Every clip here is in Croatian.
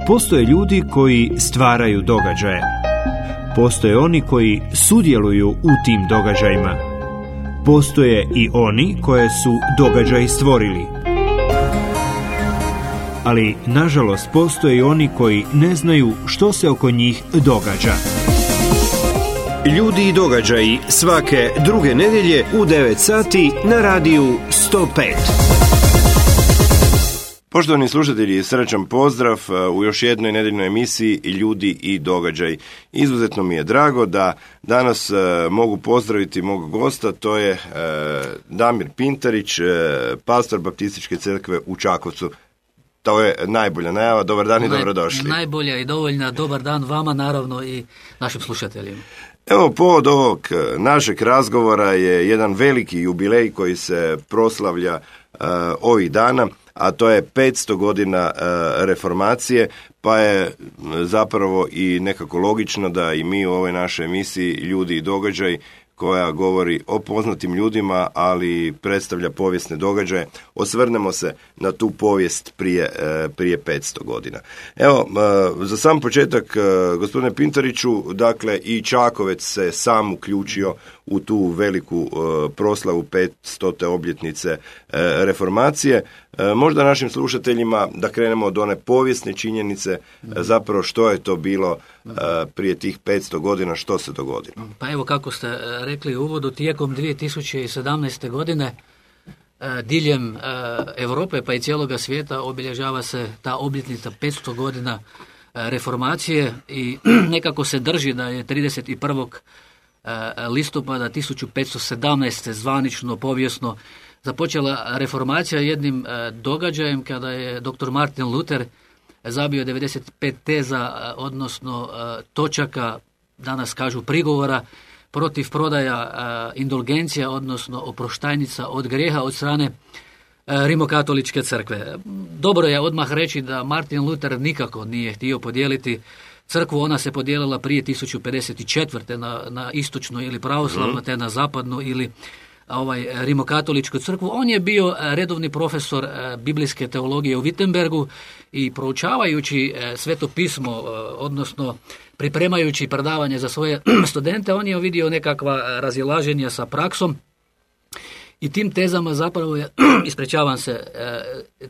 Postoje ljudi koji stvaraju događaje. Postoje oni koji sudjeluju u tim događajima. Postoje i oni koje su događaji stvorili. Ali, nažalost, postoje i oni koji ne znaju što se oko njih događa. Ljudi i događaji svake druge nedjelje u 9 sati na radiju 105. Poštovani slušatelji, srećan pozdrav u još jednoj nedjeljnoj emisiji Ljudi i događaj. Izuzetno mi je drago da danas mogu pozdraviti mog gosta, to je Damir Pintarić, pastor Baptističke crkve u Čakovcu. To je najbolja najava, dobar dan i dobrodošli. Najbolja i dovoljna, dobar dan vama naravno i našim slušateljima. Evo, povod ovog našeg razgovora je jedan veliki jubilej koji se proslavlja ovih dana, a to je 500 godina reformacije, pa je zapravo i nekako logično da i mi u ovoj našoj emisiji Ljudi i događaj, koja govori o poznatim ljudima, ali predstavlja povijesne događaje, osvrnemo se na tu povijest prije 500 godina. Evo, za sam početak, gospodine Pintariću, dakle i Čakovec se sam uključio u tu veliku proslavu 500. obljetnice reformacije. Možda našim slušateljima da krenemo od one povijesne činjenice, zapravo što je to bilo prije tih 500 godina, što se dogodilo. Pa evo, kako ste rekli u uvodu, tijekom 2017. godine diljem Europe pa i cijeloga svijeta obilježava se ta obljetnica 500 godina reformacije i nekako se drži da je 31. listopada 1517. zvanično, povijesno započela reformacija jednim događajem kada je dr. Martin Luther zabio 95 teza, odnosno točaka, danas kažu prigovora, protiv prodaja indulgencija, odnosno oproštajnica od grijeha od strane Rimokatoličke crkve. Dobro je odmah reći da Martin Luther nikako nije htio podijeliti crkvu, ona se podijelila prije 1054. na istočnu ili pravoslavnu, te na zapadnu ili Rimokatoličku crkvu. On je bio redovni profesor biblijske teologije u Wittenbergu i proučavajući Sveto pismo, odnosno pripremajući predavanje za svoje studente, on je vidio nekakva razilaženja sa praksom i tim tezama zapravo je,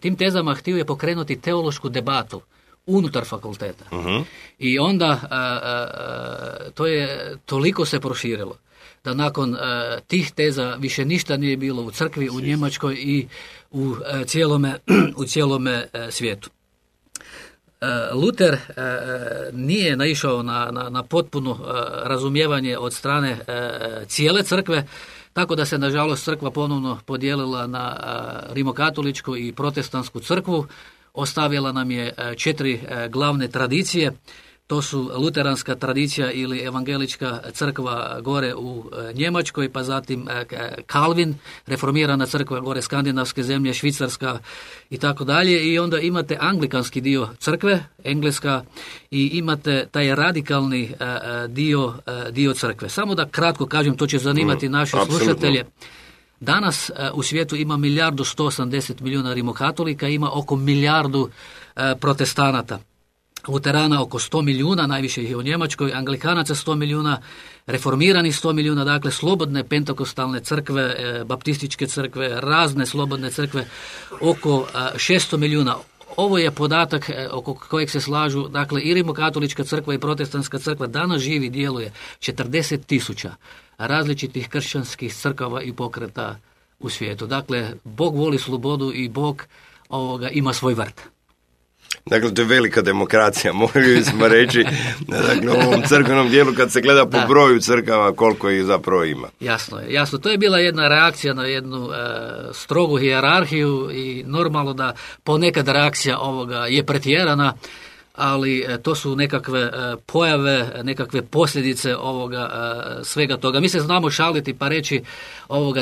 tim tezama htio je pokrenuti teološku debatu unutar fakulteta. I onda toliko se proširilo da nakon tih teza više ništa nije bilo u crkvi, u Njemačkoj i u cijelome svijetu. Luther nije naišao na potpuno razumijevanje od strane cijele crkve, tako da se nažalost crkva ponovno podijelila na rimokatoličku i protestantsku crkvu. Ostavila nam je 4 glavne tradicije. To su luteranska tradicija ili evangelička crkva gore u Njemačkoj, pa zatim Kalvin, reformirana crkva gore skandinavske zemlje, Švicarska i tako dalje. I onda imate anglikanski dio crkve, engleska, i imate taj radikalni dio crkve. Samo da kratko kažem, to će zanimati naše slušatelje. Danas u svijetu ima 1.180 milijuna rimokatolika, ima oko 1 milijardu protestanata. Luterana oko 100 milijuna, najviše ih je u Njemačkoj, Anglikanaca 100 milijuna, reformirani 100 milijuna, dakle slobodne pentekostalne crkve, baptističke crkve, razne slobodne crkve, oko 600 milijuna. Ovo je podatak oko kojeg se slažu, dakle, i rimokatolička crkva i protestantska crkva. Danas živi, djeluje 40.000 različitih kršćanskih crkava i pokreta u svijetu. Dakle, Bog voli slobodu i Bog ima svoj vrt. Dakle, to je velika demokracija, mogli smo reći, dakle, u ovom crkvenom dijelu kad se gleda po broju crkava koliko ih zapravo ima. Jasno. To je bila jedna reakcija na jednu strogu hijerarhiju i normalno da ponekad reakcija ovoga je pretjerana, ali to su nekakve pojave, nekakve posljedice svega toga. Mi se znamo šaliti pa reći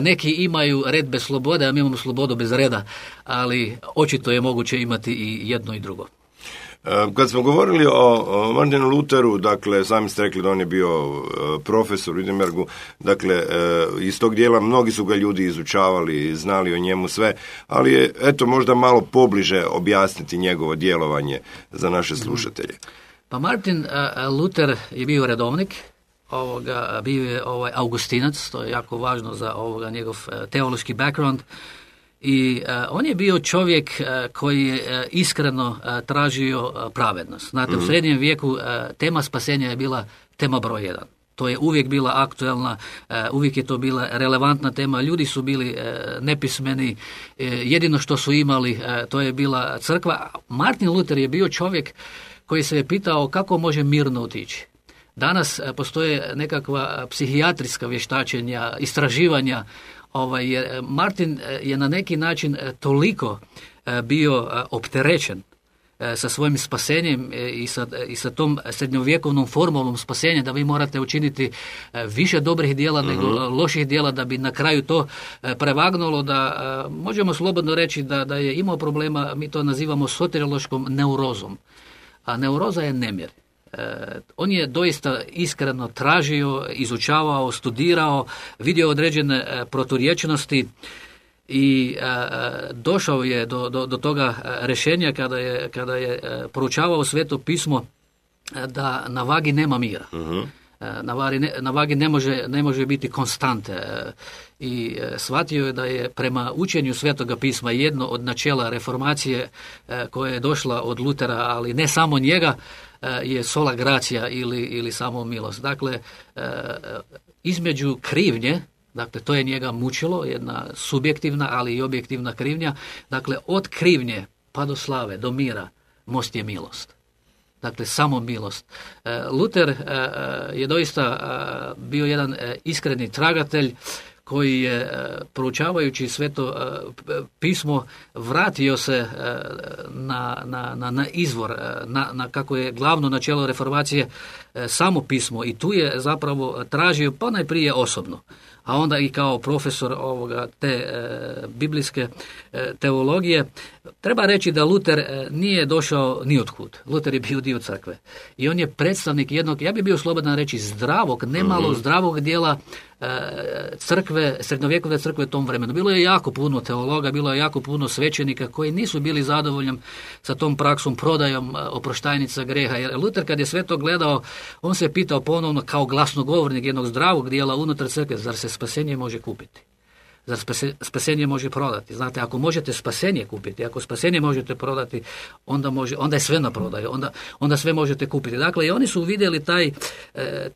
neki imaju red bez slobode, a mi imamo slobodu bez reda, ali očito je moguće imati i jedno i drugo. Kad smo govorili o Martinu Lutheru, dakle, sami ste rekli da on je bio profesor u Wittenbergu, dakle, iz tog dijela mnogi su ga ljudi izučavali, znali o njemu sve, ali je, eto, možda malo pobliže objasniti njegovo djelovanje za naše slušatelje. Pa Martin Luther je bio redovnik, bio je Augustinac, to je jako važno za njegov teološki background. I on je bio čovjek koji je iskreno tražio pravednost. Znate, u srednjem vijeku tema spasenja je bila tema broj 1. To je uvijek bila aktuelna, uvijek je to bila relevantna tema. Ljudi su bili nepismeni, jedino što su imali to je bila crkva. Martin Luther je bio čovjek koji se je pitao kako može mirno otići. Danas postoje nekakva psihijatrijska vještačenja, istraživanja. Martin je na neki način toliko bio opterećen sa svojim spasenjem i sa tom srednjovjekovnom formulom spasenja da vi morate učiniti više dobrih djela nego loših djela da bi na kraju to prevagnulo, da možemo slobodno reći da je imao problema, mi to nazivamo soteriološkom neurozom. A neuroza je nemir. On je doista iskreno tražio, izučavao, studirao, vidio određene proturječnosti i došao je do toga rješenja kada je proučavao Sveto pismo da na vagi nema mira. Na vagi ne može biti konstante i shvatio je da je prema učenju Svetoga pisma jedno od načela reformacije koja je došla od Lutera, ali ne samo njega, je sola gracia ili samo milost. Dakle, između krivnje, dakle to je njega mučilo, jedna subjektivna ali i objektivna krivnja, dakle od krivnje pa do slave, do mira, most je milost. Dakle, samo milost. Luther je doista bio jedan iskreni tragatelj koji je, proučavajući Sveto pismo, vratio se na izvor, na kako je glavno načelo reformacije samo pismo, i tu je zapravo tražio pa najprije osobno, a onda i kao profesor te biblijske teologije. Treba reći da Luther nije došao ni otkud. Luther je bio dio crkve. I on je predstavnik jednog, ja bih bio slobodan reći, zdravog, nemalo zdravog dijela crkve, srednjovjekovne crkve u tom vremenu. Bilo je jako puno teologa, bilo je jako puno svećenika koji nisu bili zadovoljni sa tom praksom, prodajom oproštajnica greha. Jer Luther kad je sve to gledao, on se pitao ponovno kao glasnogovornik jednog zdravog dijela unutar crkve, zar se spasenje može kupiti? Zar spasenje može prodati? Znate, ako možete spasenje kupiti, ako spasenje možete prodati, onda je sve na prodaju, onda sve možete kupiti. Dakle, i oni su vidjeli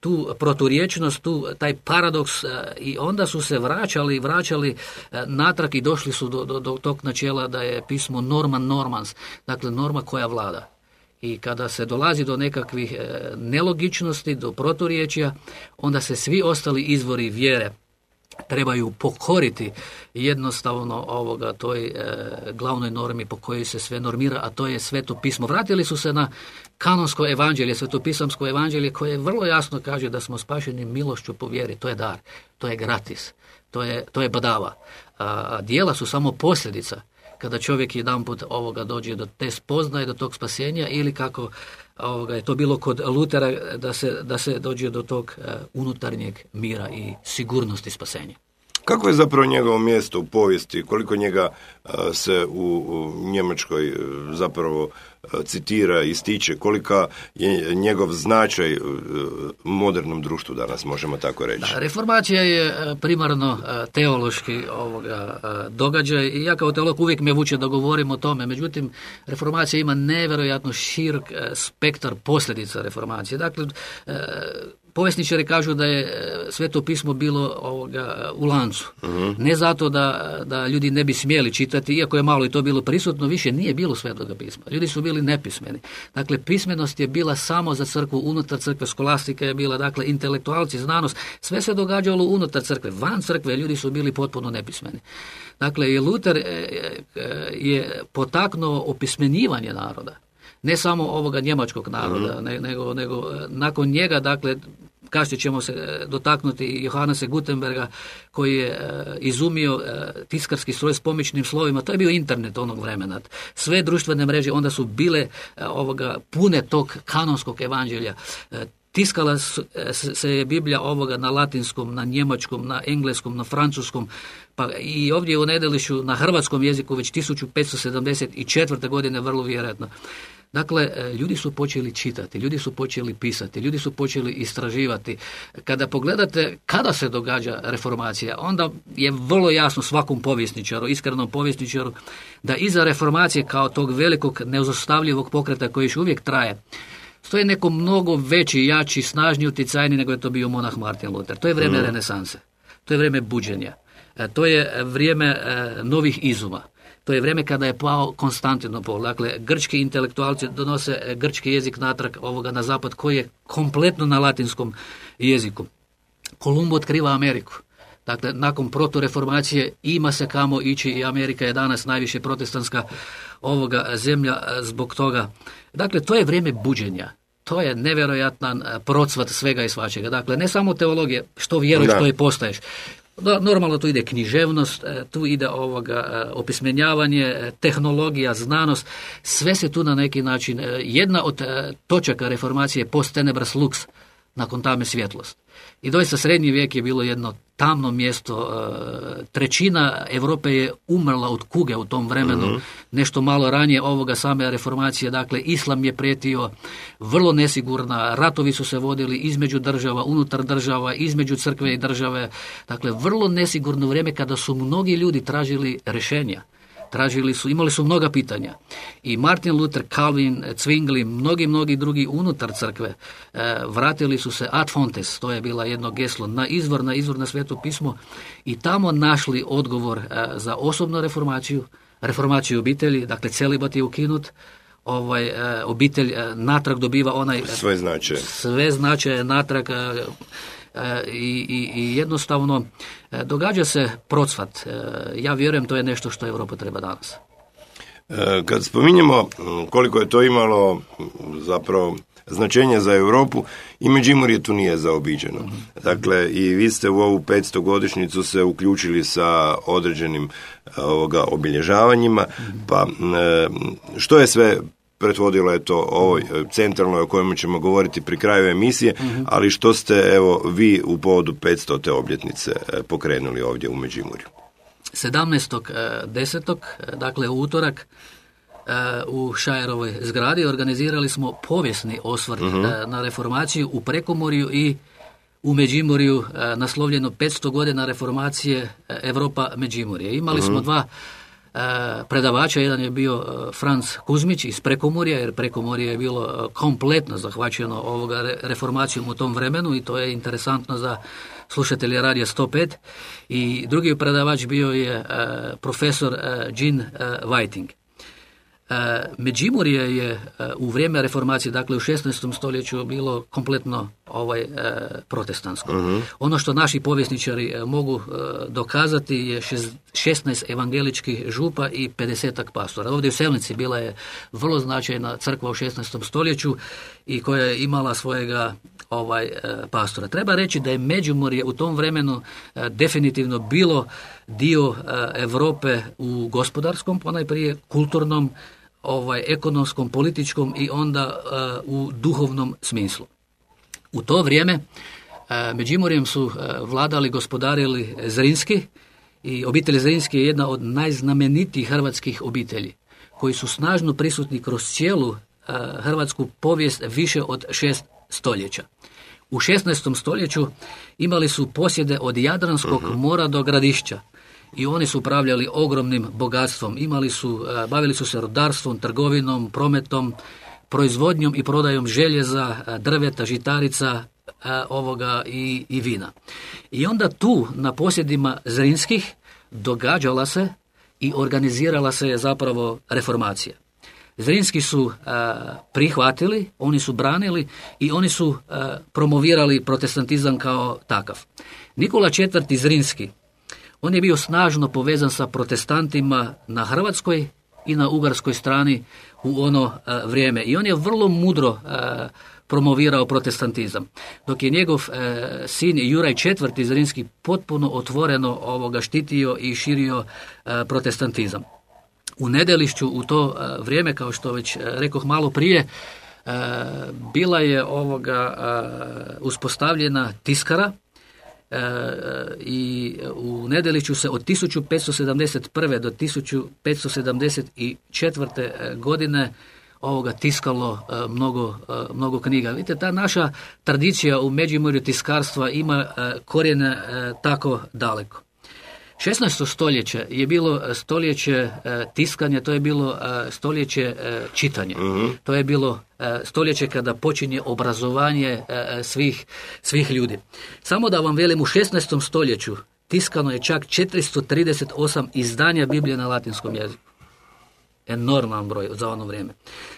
tu proturječnost, taj paradoks, i onda su se vraćali natrag i došli su do tog načela da je pismo norma normans, dakle norma koja vlada. I kada se dolazi do nekakvih nelogičnosti, do proturječja, onda se svi ostali izvori vjere trebaju pokoriti jednostavno toj glavnoj normi po kojoj se sve normira, a to je Sveto pismo. Vratili su se na kanonsko evanđelje, svetopisamsko evanđelje, koje vrlo jasno kaže da smo spašeni milošću po vjeri. To je dar, to je gratis, to je badava. A djela su samo posljedica kada čovjek jedanput dođe do te spoznaje, do tog spasenja, ili kako je to bilo kod Lutera, da se dođe do tog unutarnjeg mira i sigurnosti spasenja. Kako je zapravo njegovo mjesto u povijesti, koliko njega se u Njemačkoj zapravo citira, ističe, kolika je njegov značaj u modernom društvu danas, možemo tako reći? Da, reformacija je primarno teološki događaj, i ja kao teolog uvijek me vuče da govorim o tome. Međutim, reformacija ima nevjerojatno širok spektar posljedica reformacije. Dakle, povjesničari kažu da je Sveto pismo bilo u lancu. Ne zato da ljudi ne bi smjeli čitati, iako je malo i to bilo prisutno, više nije bilo Svetoga pisma. Ljudi su bili nepismeni. Dakle, pismenost je bila samo za crkvu, unutar crkve, skolastika je bila, dakle, intelektualci, znanost, sve se događalo unutar crkve. Van crkve ljudi su bili potpuno nepismeni. Dakle, i Luther je potaknuo opismenjivanje naroda. Ne samo ovoga njemačkog naroda, nego nakon njega, dakle, kasnije ćemo se dotaknuti Johannesa Gutenberga koji je izumio tiskarski stroj s pomičnim slovima. To je bio internet onog vremena. Sve društvene mreže onda su bile pune tog kanonskog evanđelja. Tiskala se je Biblija na latinskom, na njemačkom, na engleskom, na francuskom, pa i ovdje u Nedelišću na hrvatskom jeziku već 1574. godine vrlo vjerojatno. Dakle, ljudi su počeli čitati, ljudi su počeli pisati, ljudi su počeli istraživati. Kada pogledate kada se događa reformacija, onda je vrlo jasno svakom povjesničaru, iskrenom povjesničaru, da iza reformacije kao tog velikog neuzostavljivog pokreta koji još uvijek traje, stoji neko mnogo veći, jači, snažniji, utjecajniji nego je to bio monah Martin Luther. To je vrijeme renesanse, to je vrijeme buđenja, to je vrijeme novih izuma. To je vrijeme kada je pao Konstantinopol. Dakle, grčki intelektualci donose grčki jezik natrag na zapad koji je kompletno na latinskom jeziku. Kolumbo otkriva Ameriku. Dakle, nakon protureformacije ima se kamo ići i Amerika je danas najviše protestantska zemlja zbog toga. Dakle, to je vrijeme buđenja. To je nevjerojatan procvat svega i svačega. Dakle, ne samo teologije, što vjeruješ, što je postaješ. Normalno tu ide književnost, tu ide opismenjavanje, tehnologija, znanost, sve se tu na neki način, jedna od točaka reformacije je post tenebras lux, nakon tame svjetlost. I doista srednji vijek je bilo jedno tamno mjesto, trećina Europe je umrla od kuge u tom vremenu, nešto malo ranije same reformacije, dakle islam je prijetio, vrlo nesigurna, ratovi su se vodili između država, unutar država, između crkve i države, dakle vrlo nesigurno vrijeme kada su mnogi ljudi tražili rješenja. Imali su mnoga pitanja. I Martin Luther, Calvin, Zwingli, mnogi drugi unutar crkve vratili su se ad fontes, to je bila jedno geslo, na izvor na Sveto pismo i tamo našli odgovor za osobnu reformaciju obitelji, dakle celibat je ukinut, obitelj natrag dobiva sve značaje natrag i jednostavno događa se procvat. Ja vjerujem to je nešto što Europa treba danas. Kad spominjemo koliko je to imalo zapravo značenja za Europu, i Međimurje tu nije zaobiđeno. Dakle, i vi ste u ovu 500 godišnjicu se uključili sa određenim obilježavanjima, pa što je sve pretvodilo je to ovoj centralnoj o kojemu ćemo govoriti pri kraju emisije, ali što ste vi u povodu 500. obljetnice pokrenuli ovdje u Međimurju? 17.10. dakle u utorak u Šajerovoj zgradi organizirali smo povijesni osvrt na reformaciju u Prekomorju i u Međimurju, naslovljeno 500 godina reformacije Europa Međimurje. Imali smo dva predavača, jedan je bio Franz Kuzmić iz Prekomorja, jer Prekomorje je bilo kompletno zahvaćeno reformacijom u tom vremenu i to je interesantno za slušatelje Radija 105. I drugi predavač bio je profesor Jean Whiting. Međimurje je u vrijeme reformacije, dakle u 16. stoljeću, bilo kompletno protestantsko. Ono što naši povjesničari mogu dokazati je 16 evangeličkih župa i 50 pastora. Ovdje u Selnici bila je vrlo značajna crkva u 16. stoljeću i koja je imala svojega pastora. Treba reći da je Međimurje u tom vremenu definitivno bilo dio Europe u gospodarskom, ponajprije kulturnom, ekonomskom, političkom i onda u duhovnom smislu. U to vrijeme Međimurjem su vladali, gospodarili Zrinski i obitelj Zrinski je jedna od najznamenitijih hrvatskih obitelji koji su snažno prisutni kroz cijelu hrvatsku povijest više od 6 stoljeća. U 16. stoljeću imali su posjede od Jadranskog mora do Gradišća i oni su upravljali ogromnim bogatstvom. Bavili su se rudarstvom, trgovinom, prometom, proizvodnjom i prodajom željeza, drveta, žitarica i vina. I onda tu na posjedima Zrinskih događala se i organizirala se zapravo reformacija. Zrinski su prihvatili, oni su branili i oni su promovirali protestantizam kao takav. Nikola IV. Zrinski, on je bio snažno povezan sa protestantima na hrvatskoj i na ugarskoj strani u ono vrijeme. I on je vrlo mudro promovirao protestantizam. Dok je njegov sin Juraj IV. Iz Rimskih potpuno otvoreno štitio i širio protestantizam. U Nedelišću u to vrijeme, kao što već rekoh malo prije, bila je uspostavljena tiskara i u Nedelišću se od 1571. do 1574. godine tiskalo mnogo knjiga. Vidite, ta naša tradicija u Međimurju tiskarstva ima korijene tako daleko. 16. stoljeće je bilo stoljeće tiskanja, to je bilo stoljeće čitanja. To je bilo stoljeće kada počinje obrazovanje svih ljudi. Samo da vam velim, u 16. stoljeću tiskano je čak 438 izdanja Biblije na latinskom jeziku. Enorman broj za ono vrijeme.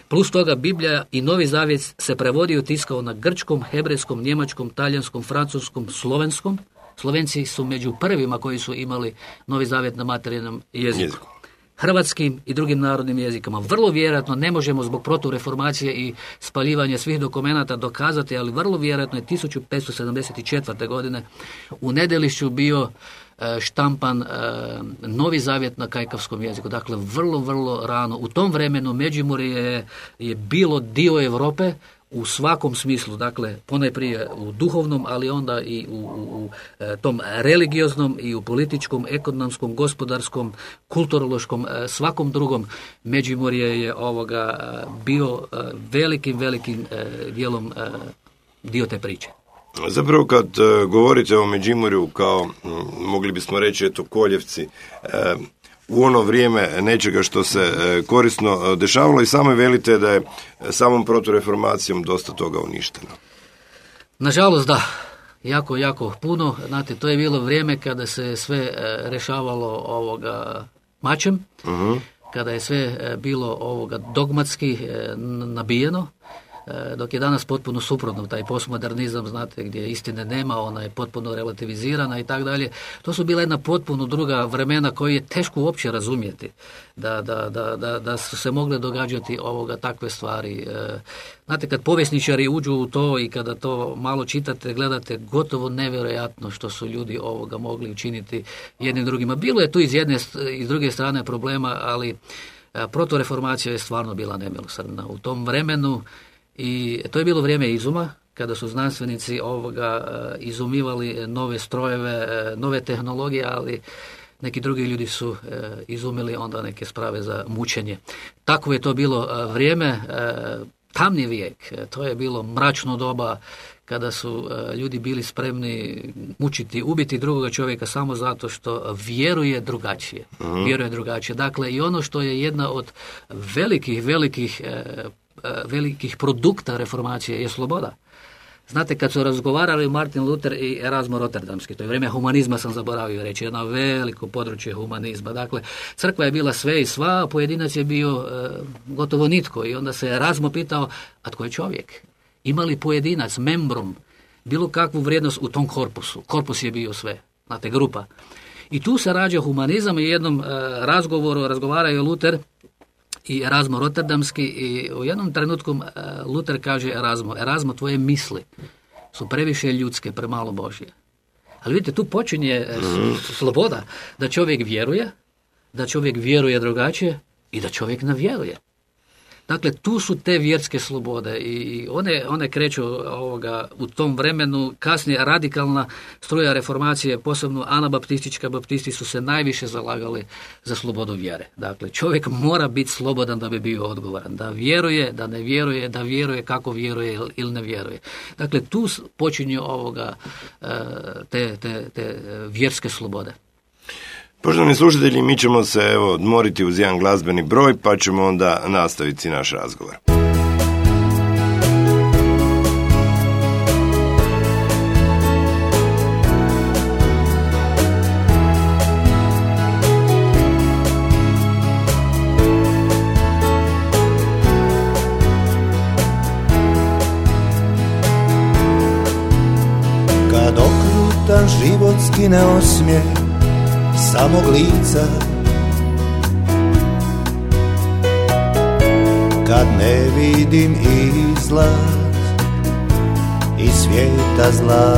Plus toga Biblija i Novi Zavjet se prevodio i tiskao na grčkom, hebrejskom, njemačkom, talijanskom, francuskom, slovenskom. Slovenci su među prvima koji su imali Novi Zavjet na materijalnom jeziku. Hrvatskim i drugim narodnim jezikama. Vrlo vjerojatno, ne možemo zbog protureformacije i spaljivanja svih dokumenata dokazati, ali vrlo vjerojatno je 1574. godine u Nedelišću bio štampan Novi Zavjet na kajkavskom jeziku. Dakle, vrlo rano. U tom vremenu Međimurje je bilo dio Europe u svakom smislu, dakle, ponajprije u duhovnom, ali onda i u tom religioznom i u političkom, ekonomskom, gospodarskom, kulturološkom, svakom drugom. Međimurje je bio velikim dijelom dio te priče. Zapravo kad govorite o Međimurju kao, mogli bismo reći, Koljevci, u ono vrijeme nečega što se korisno dešavalo, i sami velite da je samom protureformacijom dosta toga uništeno. Nažalost, da. Jako puno. Znate, to je bilo vrijeme kada se sve rješavalo mačem, kada je sve bilo dogmatski nabijeno, dok je danas potpuno suprotno, taj postmodernizam, znate, gdje istine nema, ona je potpuno relativizirana i tako dalje. To su bila jedna potpuno druga vremena koje je teško uopće razumjeti, da su se mogle događati takve stvari. Znate, kad povjesničari uđu u to i kada to malo čitate, gledate, gotovo nevjerojatno što su ljudi mogli učiniti jednim drugima. Bilo je tu iz jedne i s druge strane problema, ali protureformacija je stvarno bila nemilosrdna u tom vremenu. I to je bilo vrijeme izuma, kada su znanstvenici izumivali nove strojeve, nove tehnologije, ali neki drugi ljudi su izumili onda neke sprave za mučenje. Tako je to bilo vrijeme, tamni vijek, to je bilo mračno doba kada su ljudi bili spremni mučiti, ubiti drugoga čovjeka samo zato što vjeruje drugačije. Vjeruje drugačije. Dakle, i ono što je jedna od velikih produkta reformacije je sloboda. Znate, kad su razgovarali Martin Luther i Erasmo Rotterdamski, to je vrijeme humanizma, sam zaboravio reći, jedno veliko područje humanizma. Dakle, crkva je bila sve i sva, a pojedinac je bio gotovo nitko. I onda se Erasmo pitao, a tko je čovjek? Ima li pojedinac, membrum, bilo kakvu vrijednost u tom korpusu? Korpus je bio sve, znate, grupa. I tu se rađa humanizam i u jednom razgovoru razgovaraju Luther i Erasmo Rotterdamski, i u jednom trenutku Luther kaže Erasmo, tvoje misli su previše ljudske, premalo Božje. Ali vidite, tu počinje sloboda, da čovjek vjeruje drugačije i da čovjek ne vjeruje. Dakle, tu su te vjerske slobode i one kreću u tom vremenu. Kasnije radikalna struja reformacije, posebno anabaptistička, baptisti su se najviše zalagali za slobodu vjere. Dakle, čovjek mora biti slobodan da bi bio odgovoran, da vjeruje, da ne vjeruje, da vjeruje kako vjeruje ili ne vjeruje. Dakle, tu počinju te vjerske slobode. Poštovani slušatelji, mi ćemo se odmoriti uz jedan glazbeni broj, pa ćemo onda nastaviti naš razgovor. Kad okrutan život skine osmijeh samog lica, kad ne vidim izlaz iz svijeta zla,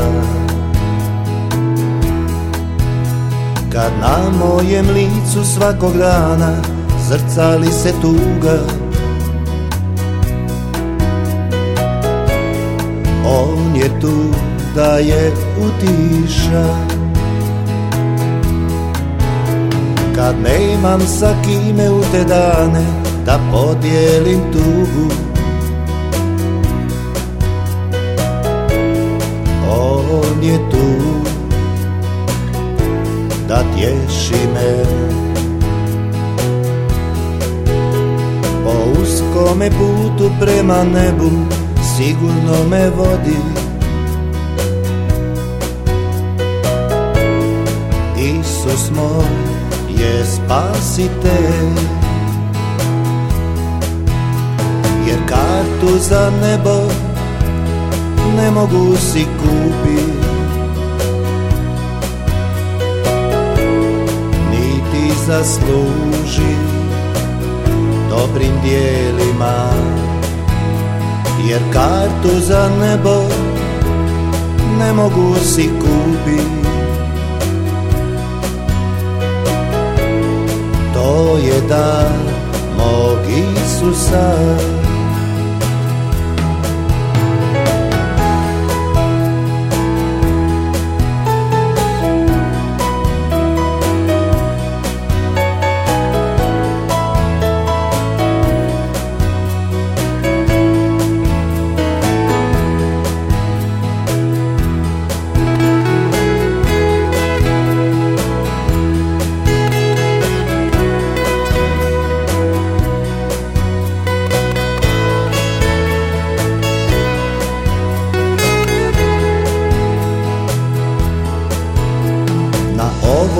kad na mojem licu svakog dana zrcali se tuga, on je tu da je utiša, kad nemam sa kime u te dane da podijelim tugu, on je tu da tješi me. Po uskome putu prema nebu sigurno me vodi, Isus moj je spasitelj, jer kartu za nebo ne mogu si kupiti, niti zasluži dobrim dijelima, jer kartu za nebo ne mogu si kupiti. To je dar mog Isusa.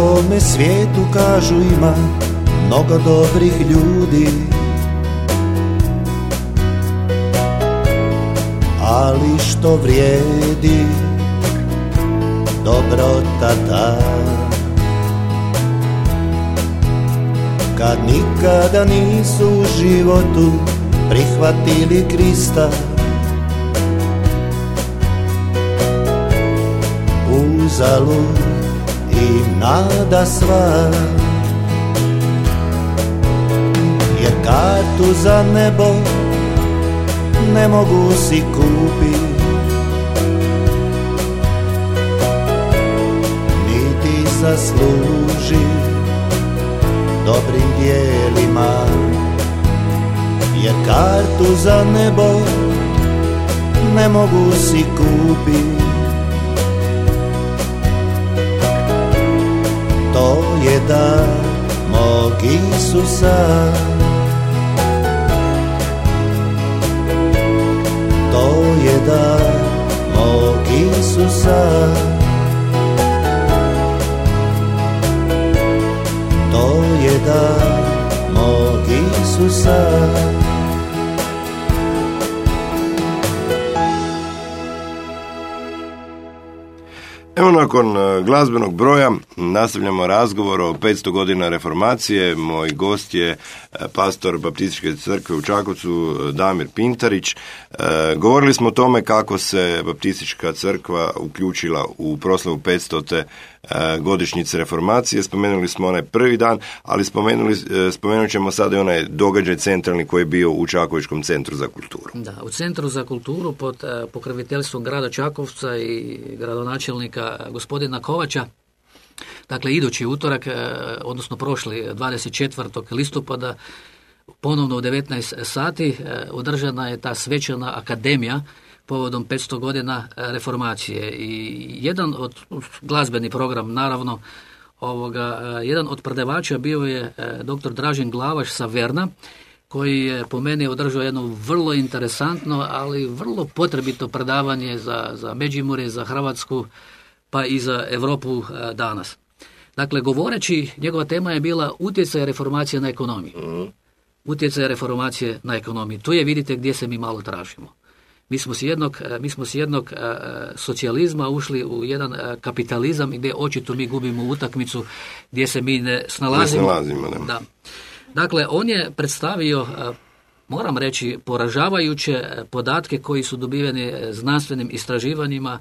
ovome svijetu kažu ima mnogo dobrih ljudi, ali što vrijedi dobrota ta, kad nikada nisu u životu prihvatili Krista. Uzalud im nada sva, jer kartu za nebo ne mogu si kupiti, niti zasluži dobrim dijelima, jer kartu za nebo ne mogu si kupiti. To je dar mog Isusa, to je dar mog Isusa, to je dar mog Isusa. Evo, nakon glazbenog broja nastavljamo razgovor o 500 godina reformacije. Moj gost je pastor Baptističke crkve u Čakovcu, Damir Pintarić. Govorili smo o tome kako se Baptistička crkva uključila u proslavu 500. godišnjice reformacije. Spomenuli smo onaj prvi dan, ali spomenut ćemo sada i onaj događaj centralni koji je bio u Čakovičkom centru za kulturu. Da, u Centru za kulturu pod pokroviteljstvom grada Čakovca i gradonačelnika gospodina Kovača. Dakle, idući utorak, odnosno prošli 24. listopada, ponovno u 19 sati održana je ta svečana akademija povodom 500 godina reformacije. I jedan od glazbeni program, naravno, jedan od predavača bio je dr. Dražen Glavaš sa Verna, koji je po meni održao jedno vrlo interesantno, ali vrlo potrebito predavanje za Međimurje, za Hrvatsku, pa i za Europu danas. Dakle, govoreći, njegova tema je bila utjecaj reformacije na ekonomiju. Utjecaj reformacije na ekonomiju. Tu je, vidite, gdje se mi malo tražimo. Mi smo s jednog socijalizma ušli u jedan kapitalizam gdje očito mi gubimo utakmicu, gdje se mi ne snalazimo. Da. Dakle, on je predstavio moram reći, poražavajuće podatke koji su dobiveni znanstvenim istraživanjima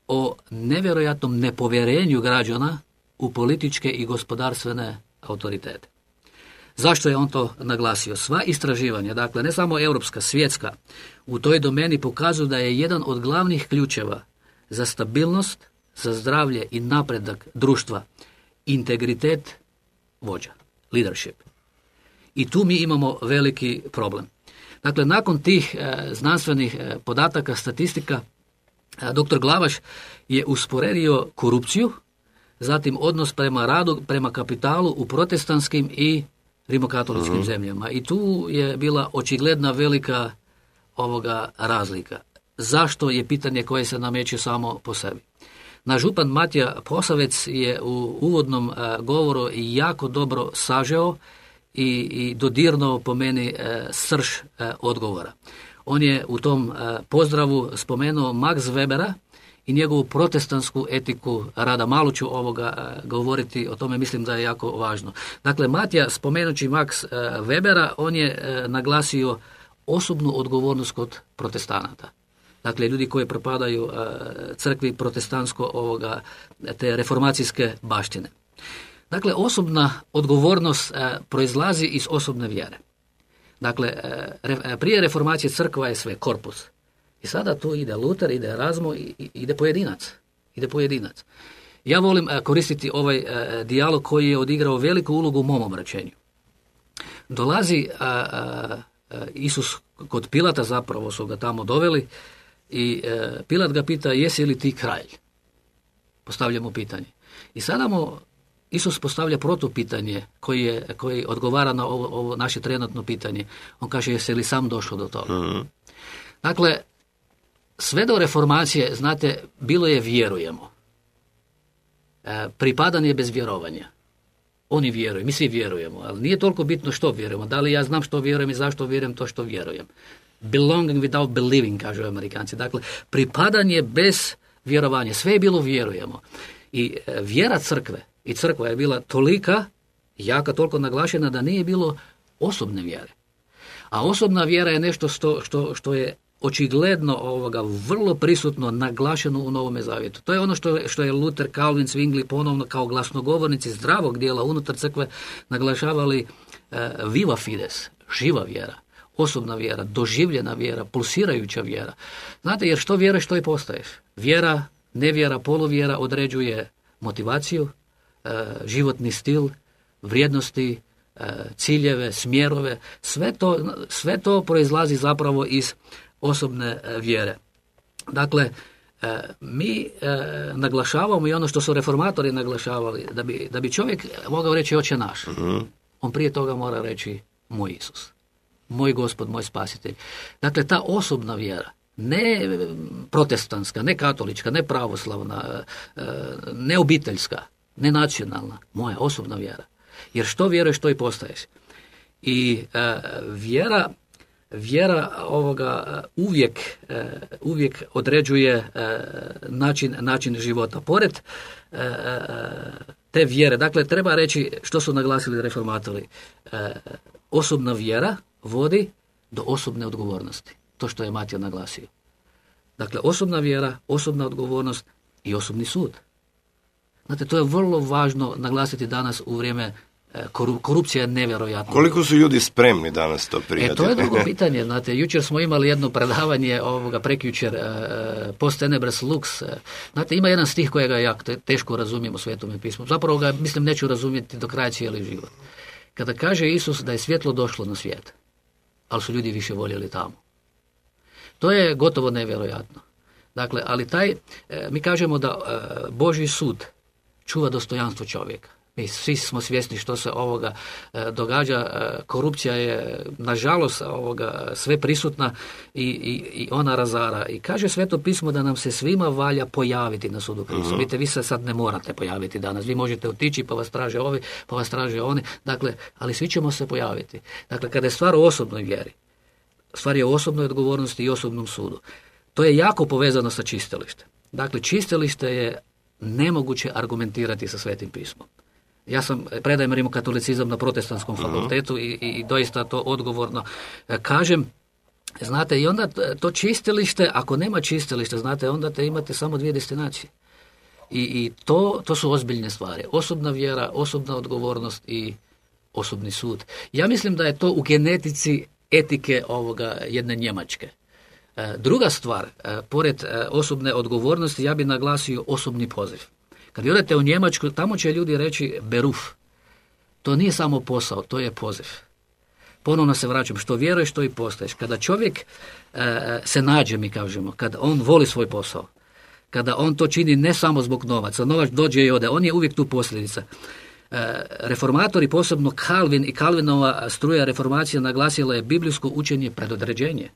o nevjerojatnom nepovjerenju građana u političke i gospodarstvene autoritete. Zašto je on to naglasio? Sva istraživanja, dakle ne samo europska, svjetska, u toj domeni pokazuju da je jedan od glavnih ključeva za stabilnost, za zdravlje i napredak društva integritet vođa, leadership. I tu mi imamo veliki problem. Dakle, nakon tih znanstvenih podataka, statistika, dr. Glavaš je usporedio korupciju, zatim odnos prema radu, prema kapitalu u protestantskim i rimokatoličkim zemljama. I tu je bila očigledna velika razlika. Zašto je pitanje koje se nameće samo po sebi. Naš župan Matija Posavec je u uvodnom govoru jako dobro sažeo i dodirnuo po meni srž odgovora. On je u tom pozdravu spomenuo Max Webera i njegovu protestantsku etiku rada. Malo ću govoriti o tome, mislim da je jako važno. Dakle, Matija, spomenući Max Webera, on je naglasio osobnu odgovornost kod protestanata. Dakle, ljudi koji propadaju crkvi protestantsko te reformacijske baštine. Dakle, osobna odgovornost proizlazi iz osobne vjere. Dakle, prije reformacije crkva je sve, korpus. I sada tu ide Luter, ide Erazmo, ide pojedinac. Ja volim koristiti ovaj dijalog koji je odigrao veliku ulogu u mom obraćenju. Dolazi Isus kod Pilata, zapravo su ga tamo doveli, i Pilat ga pita, jesi li ti kralj? Postavlja mu pitanje. I sada mu Isus postavlja protupitanje koji odgovara na ovo naše trenutno pitanje. On kaže, jesi li sam došao do toga? Dakle, sve do reformacije, znate, bilo je vjerujemo. Pripadanje bez vjerovanja. Oni vjeruju, mi svi vjerujemo, ali nije toliko bitno što vjerujemo. Da li ja znam što vjerujem i zašto vjerujem to što vjerujem. Belonging without believing, kažu Amerikanci. Dakle, pripadanje bez vjerovanja. Sve je bilo vjerujemo. I vjera crkve i crkva je bila tolika, jaka, toliko naglašena da nije bilo osobne vjere. A osobna vjera je nešto što je očigledno vrlo prisutno naglašeno u Novome Zavjetu. To je ono što je Luther, Calvin, Zwingli ponovno kao glasnogovornici zdravog dijela unutar crkve naglašavali viva fides, živa vjera, osobna vjera, doživljena vjera, pulsirajuća vjera. Znate, jer što vjeruješ, što i postaješ. Vjera, nevjera, poluvjera određuje motivaciju, životni stil, vrijednosti, ciljeve, smjerove. Sve to proizlazi zapravo iz osobne vjere. Dakle, mi naglašavamo i ono što su reformatori naglašavali, da bi čovjek mogao reći Oče naš, on prije toga mora reći moj Isus, moj Gospod, moj Spasitelj. Dakle, ta osobna vjera, ne protestantska, ne katolička, ne pravoslavna, ne obiteljska, ne nacionalna, moja osobna vjera. Jer što vjeruješ, to i postaješ. I vjera uvijek određuje način života. Pored te vjere, dakle, treba reći što su naglasili reformatori. Osobna vjera vodi do osobne odgovornosti. To što je Matija naglasio. Dakle, osobna vjera, osobna odgovornost i osobni sud. Znate, to je vrlo važno naglasiti danas u vrijeme korupcija je nevjerojatna. Koliko su ljudi spremni danas to prijati? To je drugo pitanje. Znate, jučer smo imali jedno predavanje prekjučer Post tenebras lux. Znate, ima jedan stih kojega ja teško razumijem u Svetome pismu. Zapravo ga, mislim, neću razumjeti do kraja cijeli život. Kada kaže Isus da je svjetlo došlo na svijet, ali su ljudi više voljeli tamo. To je gotovo nevjerojatno. Dakle, ali mi kažemo da Božji sud čuva dostojanstvo čovjeka. Mi svi smo svjesni što se događa. Korupcija je, nažalost, sve prisutna i ona razara. I kaže Sveto pismo da nam se svima valja pojaviti na sudu Krista. Vidite, vi se sad ne morate pojaviti danas. Vi možete otići pa vas traže ovi, pa vas traže oni. Dakle, ali svi ćemo se pojaviti. Dakle, kada je stvar o osobnoj vjeri, stvar je o osobnoj odgovornosti i osobnom sudu. To je jako povezano sa čistilištem. Dakle, čistilište je nemoguće argumentirati sa Svetim pismom. Ja predajem rimokatolicizam na protestantskom fakultetu i doista to odgovorno kažem. Znate, i onda to čistilište, ako nema čistilišta, znate, onda imate samo dvije destinacije. I to su ozbiljne stvari. Osobna vjera, osobna odgovornost i osobni sud. Ja mislim da je to u genetici etike jedne Njemačke. Druga stvar, pored osobne odgovornosti, ja bih naglasio osobni poziv. Kad odete u Njemačku, tamo će ljudi reći beruf. To nije samo posao, to je poziv. Ponovno se vraćam, što vjeruješ, što i postaješ. Kada čovjek se nađe, mi kažemo, kada on voli svoj posao, kada on to čini ne samo zbog novaca, novac dođe i ode, on je uvijek tu posljedica. Reformatori, posebno Calvin i Calvinova struja reformacija naglasila je biblijsko učenje predodređenje.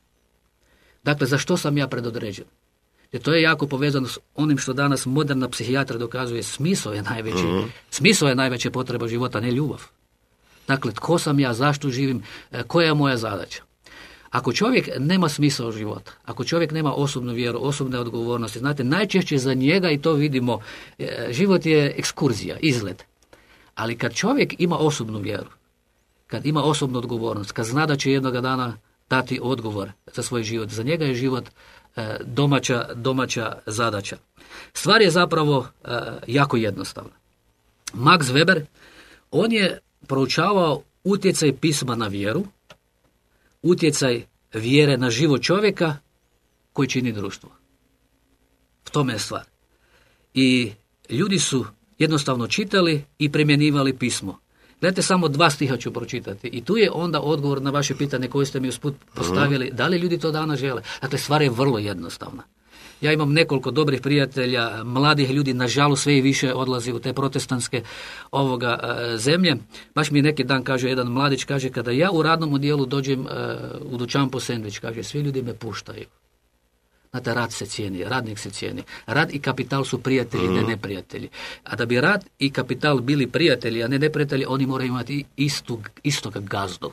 Dakle, za što sam ja predodređen? Jer to je jako povezano s onim što danas moderna psihijatra dokazuje, smisao je najveća potreba života, ne ljubav. Dakle, tko sam ja, zašto živim, koja je moja zadaća? Ako čovjek nema smisao života, ako čovjek nema osobnu vjeru, osobne odgovornosti, znate, najčešće za njega, i to vidimo, život je ekskurzija, izlet. Ali kad čovjek ima osobnu vjeru, kad ima osobnu odgovornost, kad zna da će jednoga dana dati odgovor za svoj život, za njega je život domaća zadaća. Stvar je zapravo jako jednostavna. Max Weber, on je proučavao utjecaj pisma na vjeru, utjecaj vjere na život čovjeka koji čini društvo. V tome je stvar. I ljudi su jednostavno čitali i primjenjivali pismo. Gledajte, samo 2 stiha ću pročitati. I tu je onda odgovor na vaše pitanje koje ste mi usput postavili. Da li ljudi to danas žele? Dakle, stvar je vrlo jednostavna. Ja imam nekoliko dobrih prijatelja, mladih ljudi, nažalost sve i više odlazi u te protestantske zemlje. Baš mi neki dan kaže jedan mladić, kaže, kada ja u radnom odjelu dođem u dućan po sendvič, kaže, svi ljudi me puštaju. Znate, rad se cijeni, radnik se cijeni. Rad i kapital su prijatelji, ne neprijatelji. A da bi rad i kapital bili prijatelji, a ne neprijatelji, oni moraju imati istog gazdu.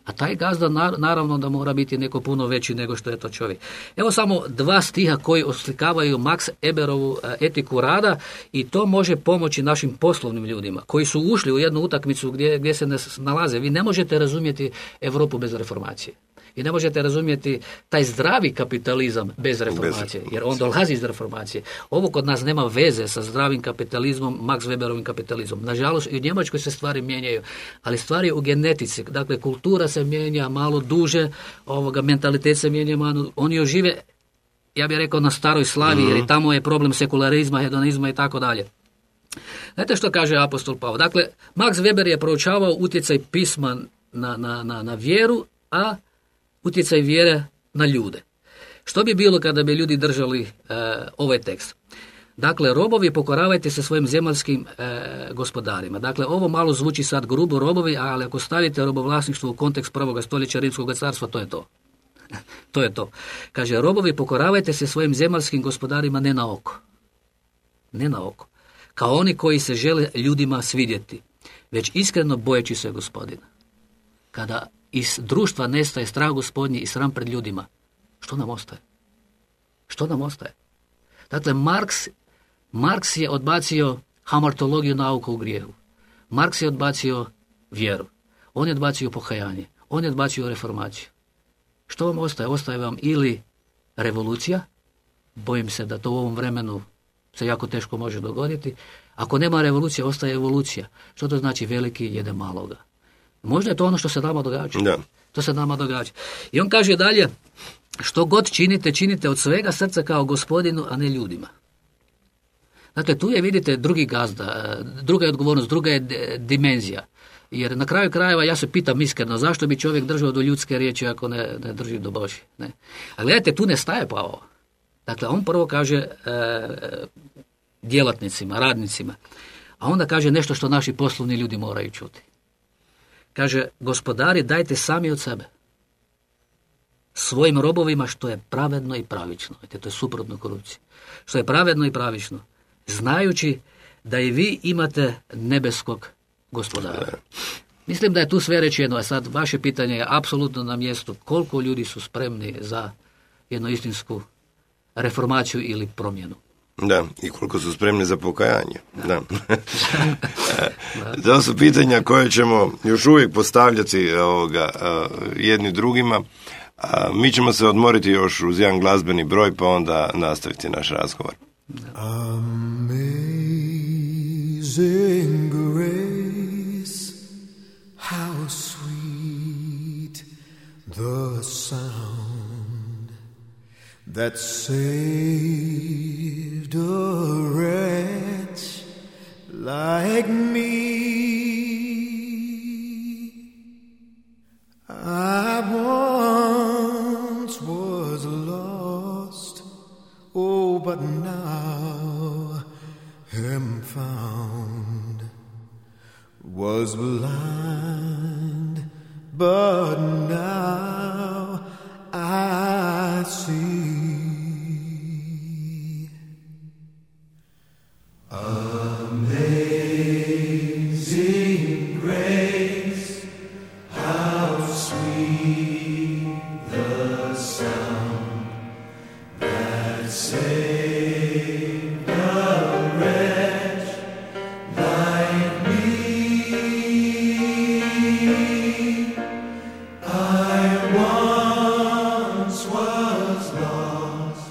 A taj gazda naravno da mora biti neko puno veći nego što je to čovjek. Evo samo 2 stiha koji oslikavaju Max Weberovu etiku rada i to može pomoći našim poslovnim ljudima koji su ušli u jednu utakmicu gdje se nalaze. Vi ne možete razumjeti Europu bez reformacije. I ne možete razumjeti taj zdravi kapitalizam bez reformacije, jer on dolazi iz reformacije. Ovo kod nas nema veze sa zdravim kapitalizmom, Max Weberovim kapitalizmom. Nažalost, i u Njemačkoj se stvari mijenjaju, ali stvari u genetici. Dakle, kultura se mijenja malo duže, mentalitet se mijenja malo. Oni još žive, ja bih rekao, na staroj slavi, jer i tamo je problem sekularizma, hedonizma i tako dalje. Znate što kaže apostol Pavao? Dakle, Max Weber je proučavao utjecaj pisma na vjeru, a utjecaj vjere na ljude. Što bi bilo kada bi ljudi držali ovaj tekst? Dakle, robovi, pokoravajte se svojim zemaljskim gospodarima. Dakle, ovo malo zvuči sad grubo, robovi, ali ako stavite robovlasništvo u kontekst 1. stoljeća Rimskog carstva, to je to. To je to. Kaže, robovi, pokoravajte se svojim zemaljskim gospodarima ne na oko. Ne na oko. Kao oni koji se žele ljudima svidjeti, već iskreno bojeći se Gospodina. Kada iz društva nestaje strah Gospodnji i sram pred ljudima, što nam ostaje? Što nam ostaje? Dakle, Marks je odbacio hamartologiju, nauku u grijehu. Marks je odbacio vjeru. On je odbacio pokajanje. On je odbacio reformaciju. Što vam ostaje? Ostaje vam ili revolucija, bojim se da to u ovom vremenu se jako teško može dogoditi. Ako nema revolucije, ostaje evolucija. Što to znači? Veliki jede maloga. Možda je to ono što se nama događa. Da. To se nama događa. I on kaže dalje, što god činite, činite od svega srca kao Gospodinu, a ne ljudima. Dakle, tu je, vidite, drugi gazda, druga je odgovornost, druga je dimenzija. Jer na kraju krajeva ja se pitam iskreno, zašto bi čovjek držao do ljudske riječi ako ne drži do Božje. Ne? A gledajte, tu ne staje Pavao. Dakle, on prvo kaže djelatnicima, radnicima, a onda kaže nešto što naši poslovni ljudi moraju čuti. Kaže, gospodari, dajte sami od sebe svojim robovima što je pravedno i pravično. To je suprotno korupciji. Što je pravedno i pravično, znajući da i vi imate nebeskog gospodara. Mislim da je tu sve rečeno, a sad vaše pitanje je apsolutno na mjestu koliko ljudi su spremni za jednu istinsku reformaciju ili promjenu. Da, i koliko su spremni za pokajanje. Da. To su pitanja koje ćemo još uvijek postavljati jedni drugima. Mi ćemo se odmoriti još uz jedan glazbeni broj, pa onda nastaviti naš razgovor. Amazing grace, how sweet the sound that saved a wretch like me. I once was lost, oh, but now am found. Was blind, but now I see. Amazing grace, how sweet the sound that saved a wretch like me. I once was lost,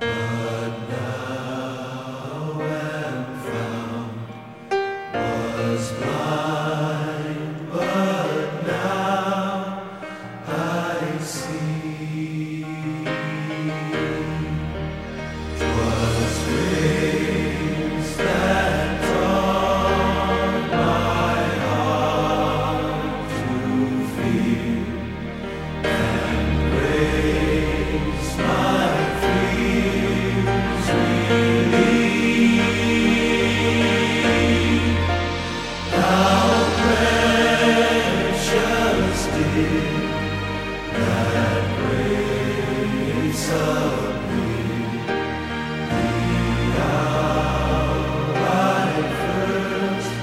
but now am found. Was blind, but now I see. 'Twas grace that taught my heart to fear, and grace my fears relieved. How precious did that grace appear, the hour I first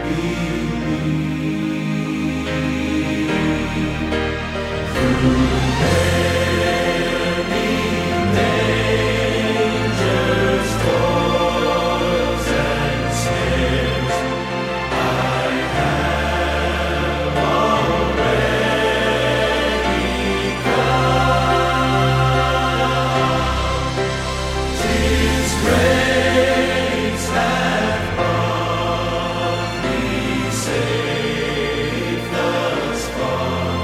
believed. Through many dangers, toils, and snares, I have already come. 'Tis grace hath brought me safe thus far,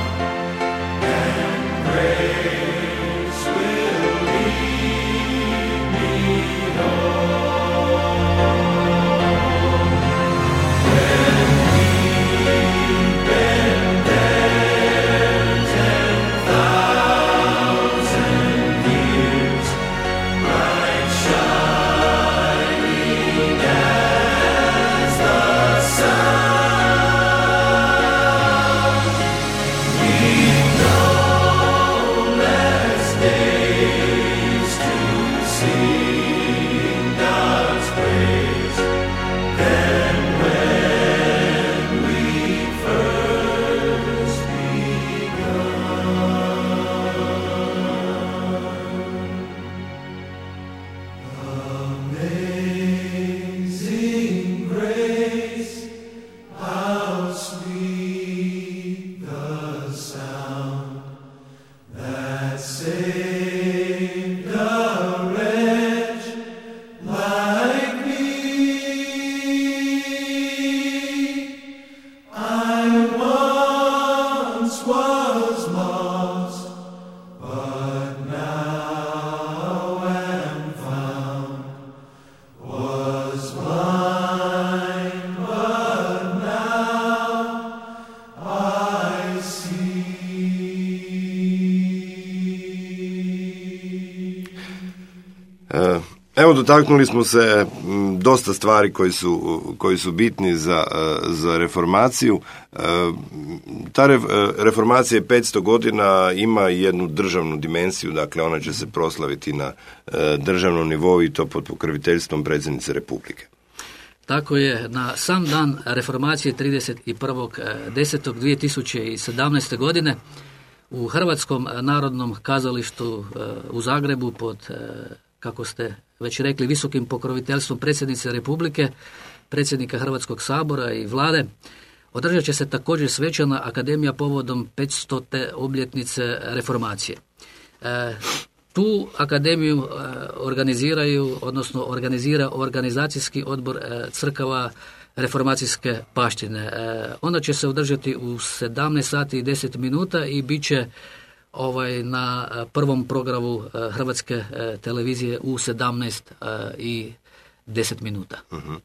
and grace will lead me home. When deep and there 10,000 years, bright shining as the sun, we've no less days to sing God's praise than when we first begun. Amazing grace, how sweet the sound that saved a wretch like me. I once was lost, but now am found. Was blind, but now I see. Evo, dotaknuli smo se dosta stvari koji su bitni za reformaciju. Ta reformacija 500 godina ima jednu državnu dimenziju, dakle ona će se proslaviti na državnom nivou i to pod pokroviteljstvom predsjednice Republike. Tako je, na sam dan reformacije 31.10.2017. godine u Hrvatskom narodnom kazalištu u Zagrebu pod kako ste već rekli, visokim pokroviteljstvom predsjednice Republike, predsjednika Hrvatskog sabora i vlade, održat će se također svečana akademija povodom 500. obljetnice reformacije. Tu akademiju organizira organizacijski odbor crkava reformacijske baštine. Ona će se održati u 17 sati i 10 minuta i bit će na prvom programu Hrvatske televizije u 17 i 10 minuta. Uh-huh.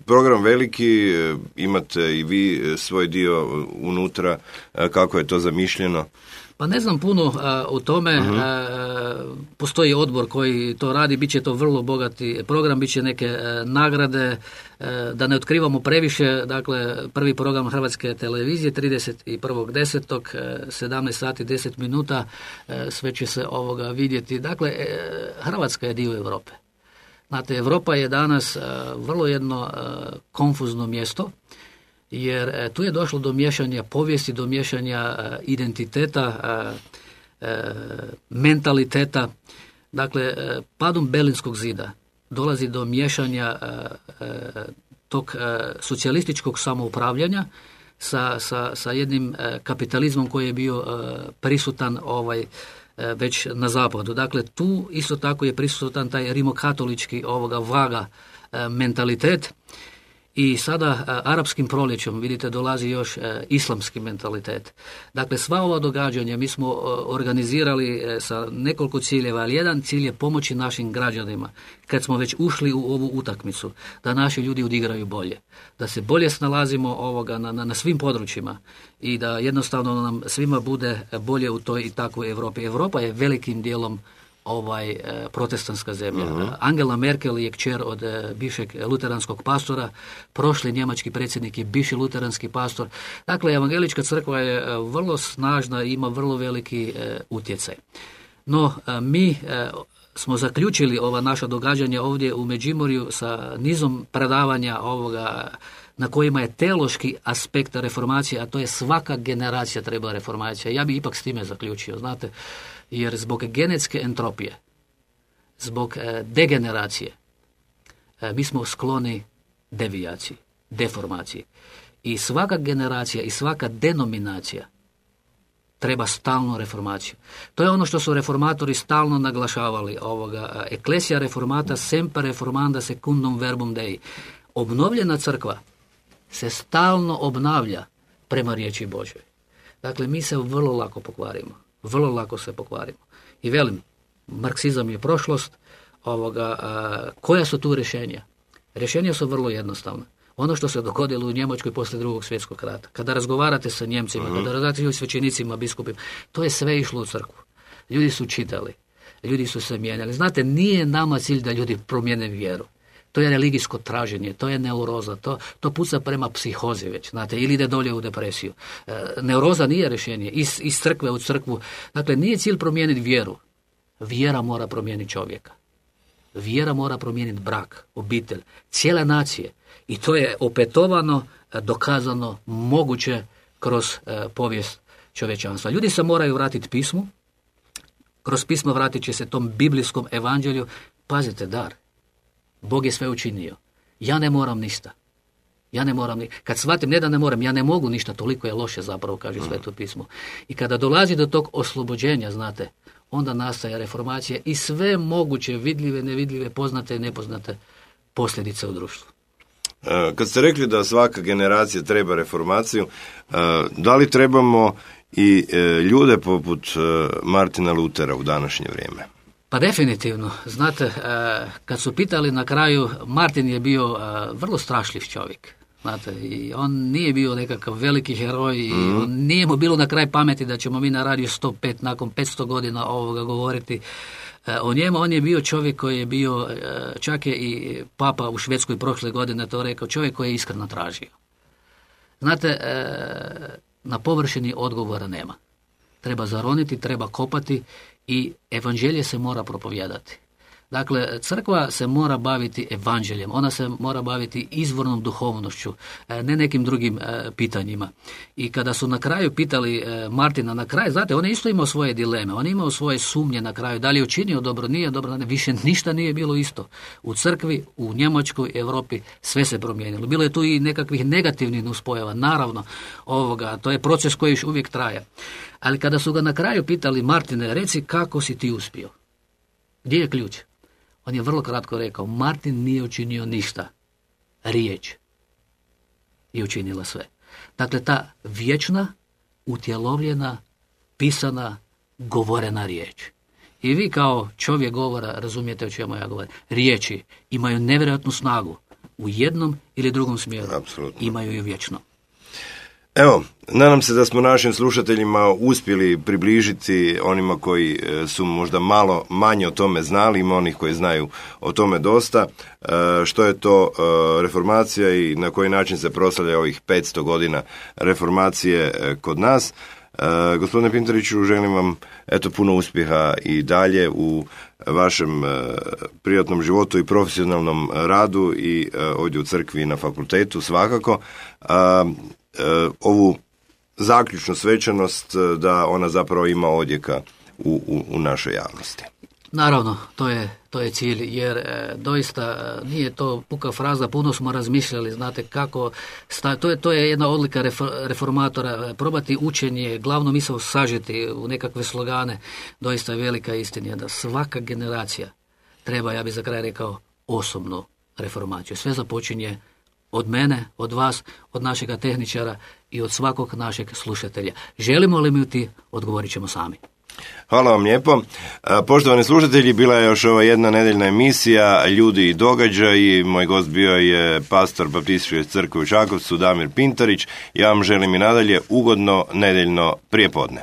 Program veliki, imate i vi svoj dio unutra, kako je to zamišljeno? Pa ne znam puno o tome, postoji odbor koji to radi, bit će to vrlo bogati program, bit će neke nagrade, da ne otkrivamo previše, dakle prvi program Hrvatske televizije 31.10. 17 sati 10 minuta, sve će se vidjeti. Dakle, Hrvatska je dio Europe. Znate, Europa je danas vrlo jedno konfuzno mjesto, jer tu je došlo do miješanja povijesti, do miješanja identiteta, mentaliteta. Dakle, padom Berlinskog zida dolazi do miješanja tog socijalističkog samoupravljanja sa jednim kapitalizmom koji je bio prisutan već na zapadu. Dakle, tu isto tako je prisutan taj rimokatolički vaga mentalitet. I sada arapskim proljećem, vidite, dolazi još islamski mentalitet. Dakle, sva ova događanja mi smo organizirali sa nekoliko ciljeva, ali jedan cilj je pomoći našim građanima, kad smo već ušli u ovu utakmicu, da naši ljudi odigraju bolje, da se bolje snalazimo na svim područjima i da jednostavno nam svima bude bolje u toj i takvoj Europi. Europa je velikim dijelom protestantska zemlja. Uh-huh. Angela Merkel je kćer od bivšeg luteranskog pastora, prošli njemački predsjednik je bivši luteranski pastor. Dakle, evangelička crkva je vrlo snažna i ima vrlo veliki utjecaj. No, mi smo zaključili ova naša događanja ovdje u Međimurju sa nizom predavanja na kojima je teološki aspekt reformacije, a to je svaka generacija treba reformacija. Ja bih ipak s time zaključio, znate, jer zbog genetske entropije, zbog degeneracije, mi smo skloni devijaciji, deformaciji. I svaka generacija i svaka denominacija treba stalnu reformaciju. To je ono što su reformatori stalno naglašavali. Ecclesia reformata semper reformanda secundum verbum Dei. Obnovljena crkva se stalno obnavlja prema riječi Božjoj. Dakle, mi se vrlo lako pokvarimo. Vrlo lako se pokvarimo. I velim, marksizam je prošlost. Koja su tu rješenja? Rješenja su vrlo jednostavna. Ono što se dogodilo u Njemačkoj poslije Drugog svjetskog rata. Kada razgovarate sa Njemcima, kada razgovarate s svećenicima, biskupima, to je sve išlo u crkvu. Ljudi su čitali, ljudi su se mijenjali. Znate, nije nama cilj da ljudi promijene vjeru. To je religijsko traženje, to je neuroza, to puca prema psihozi već, znate, ili ide dolje u depresiju. Neuroza nije rješenje, iz crkve u crkvu. Dakle, nije cilj promijeniti vjeru. Vjera mora promijeniti čovjeka. Vjera mora promijeniti brak, obitelj, cijele nacije. I to je opetovano, dokazano, moguće kroz povijest čovječanstva. Ljudi se moraju vratiti pismu, kroz pismo vratit će se tom biblijskom evanđelju. Pazite, dar. Bog je sve učinio. Ja ne moram ništa. Kad shvatim, ne da ne moram, ja ne mogu ništa, toliko je loše zapravo, kaže Sveto pismo. I kada dolazi do tog oslobođenja, znate, onda nastaje reformacija i sve moguće vidljive, nevidljive, poznate i nepoznate posljedice u društvu. Kad ste rekli da svaka generacija treba reformaciju, da li trebamo i ljude poput Martina Lutera u današnje vrijeme? Pa definitivno. Znate, kad su pitali na kraju, Martin je bio vrlo strašljiv čovjek. Znate, i on nije bio nekakav veliki heroj i nije mu bilo na kraj pameti da ćemo mi na radiju 105 nakon 500 godina govoriti o njemu. On je bio čovjek koji je bio, čak je i Papa u Švedskoj prošle godine to rekao, čovjek koji je iskreno tražio. Znate, na površini odgovora nema. Treba zaroniti, treba kopati i evanđelje se mora propovijedati. Dakle, crkva se mora baviti evanđeljem, ona se mora baviti izvornom duhovnošću, ne nekim drugim pitanjima. I kada su na kraju pitali Martina na kraju, znate, on je isto imao svoje dileme, on je imao svoje sumnje na kraju, da li je učinio dobro, nije dobro, više ništa nije bilo isto. U crkvi, u Njemačkoj, Europi, sve se promijenilo. Bilo je tu i nekakvih negativnih nuspojava, naravno, to je proces koji još uvijek traje. Ali kada su ga na kraju pitali, Martine, reci kako si ti uspio? Gdje je ključ? On je vrlo kratko rekao, Martin nije učinio ništa. Riječ je učinila sve. Dakle, ta vječna, utjelovljena, pisana, govorena riječ. I vi kao čovjek govora razumijete o čemu ja govorim. Riječi imaju nevjerojatnu snagu u jednom ili drugom smjeru. Apsolutno. Imaju ju vječno. Evo, nadam se da smo našim slušateljima uspjeli približiti onima koji su možda malo manje o tome znali, ima onih koji znaju o tome dosta, što je to reformacija i na koji način se proslavlja ovih 500 godina reformacije kod nas. Gospodine Pintariću, želim vam puno uspjeha i dalje u vašem privatnom životu i profesionalnom radu i ovdje u crkvi i na fakultetu svakako. Ovu zaključnu svečanost da ona zapravo ima odjeka u našoj javnosti. Naravno, to je cilj, jer doista nije to puka fraza, puno smo razmišljali, znate kako, to je jedna odlika reformatora, probati učenje, glavno misao sažeti u nekakve slogane, doista je velika istina da svaka generacija treba, ja bih za kraj rekao, osobnu reformaciju. Sve započinje od mene, od vas, od našega tehničara i od svakog našeg slušatelja. Želimo li mi ti, odgovorit ćemo sami. Hvala vam lijepo. Poštovani slušatelji, bila je još ova jedna nedeljna emisija Ljudi i događaji. Moj gost bio je pastor Baptističke crkve u Čakovcu, Damir Pintarić. Ja vam želim i nadalje ugodno nedeljno prijepodne.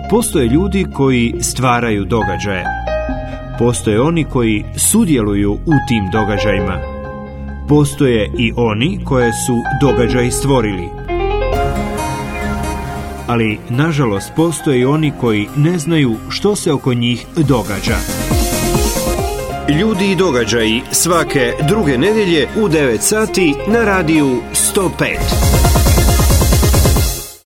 Postoje ljudi koji stvaraju događaje. Postoje oni koji sudjeluju u tim događajima. Postoje i oni koje su događaj stvorili. Ali, nažalost, postoje i oni koji ne znaju što se oko njih događa. Ljudi i događaji svake druge nedjelje u 9 sati na radiju 105.